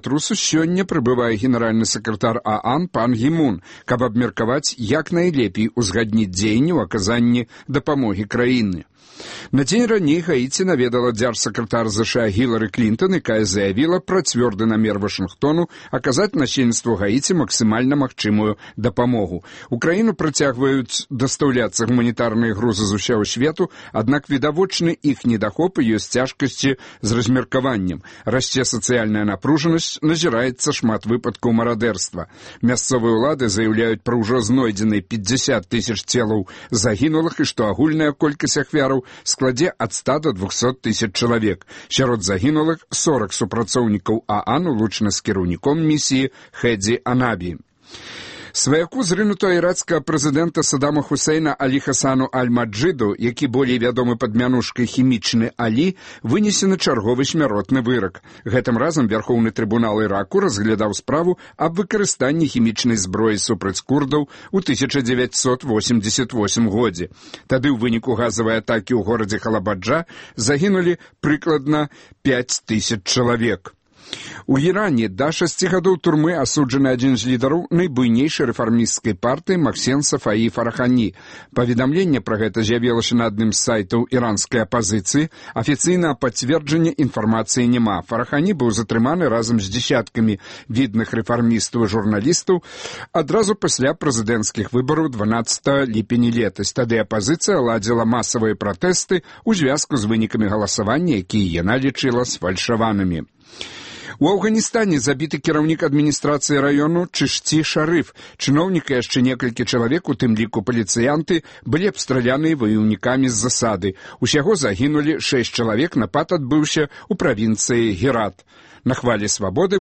землятрусу сёння прыбывае генеральны сакратар ААН пан Гі Мун, каб абмеркаваць, як найлепей узгадніць дзеянні ў аказанні дапамогі краіны. На дзень раней Гаіці наведала дзяржсакратар ЗША Гілары Клінтон, якая заявіла пра цвёрды намер Вашынгтону аказаць насельніцтву Гаіці максімальна магчымую дапамогу. У краіну працягваюць дастаўляцца гуманітарныя грузы з усяго свету, аднак відавочны іх недахоп і ёсць цяжкасці з размеркаваннем. Расце сацыяльная напружанасць, назіраецца шмат выпадкаў марадэрства. Мясцовыя ўлады заяўляюць пра ўжо знойдзеныя 50 тысяч целаў загінулых і што агульная колькасць ахвяраў складзе ад 100 до 200 тысяч чалавек. Сярод загінулых 40 супрацоўнікаў ААН, улучана з кіраўніком місіі Хэдзі Анабі. Сваяку зрынутого ірацкага прэзідэнта Саддама Хусейна Алі Хасану Аль-Маджыду, які болей вядомы пад мянушкай «Хімічны Алі», вынесены чарговы смяротны вырак. Гэтым разам Вярхоўны трыбунал Іраку разглядаў справу аб выкарыстанні хімічнай зброі супраць курдаў у 1988 годзе. Тады ў выніку газавай атакі ў горадзе Халабаджа загінулі прыкладна 5000 чалавек. У Іране да 6 гадоў турмы асуджаны адзін з лідараў найбуйнейшай рэфармісцкай партыі Максен Сафаі Фарахані. Паведамленне пра гэта з'явілася на адным з сайтаў іранскай апазіцыі. Афіцыйнага пацверджання інфармацыі няма. Фарахані быў затрыманы разам з дзесяткамі відных рэфармістаў і журналістаў адразу пасля прэзідэнцкіх выбараў 12 ліпеня летась. Тады апазіцыя ладзіла масавыя пратэсты ў звязку з вынікамі галасавання, якія яна лічыла сфальшаванымі. У Афганістане забіты кіраўнік адміністрацыі раёну Чышці Шарыф. Чыноўнік і яшчэ некалькі чалавек, у тым ліку паліцыянты, былі абстраляныя ваяўнікамі з засады. Усяго загінулі 6 чалавек, напад адбыўся ў правінцыі Герат. На хвалі свабоды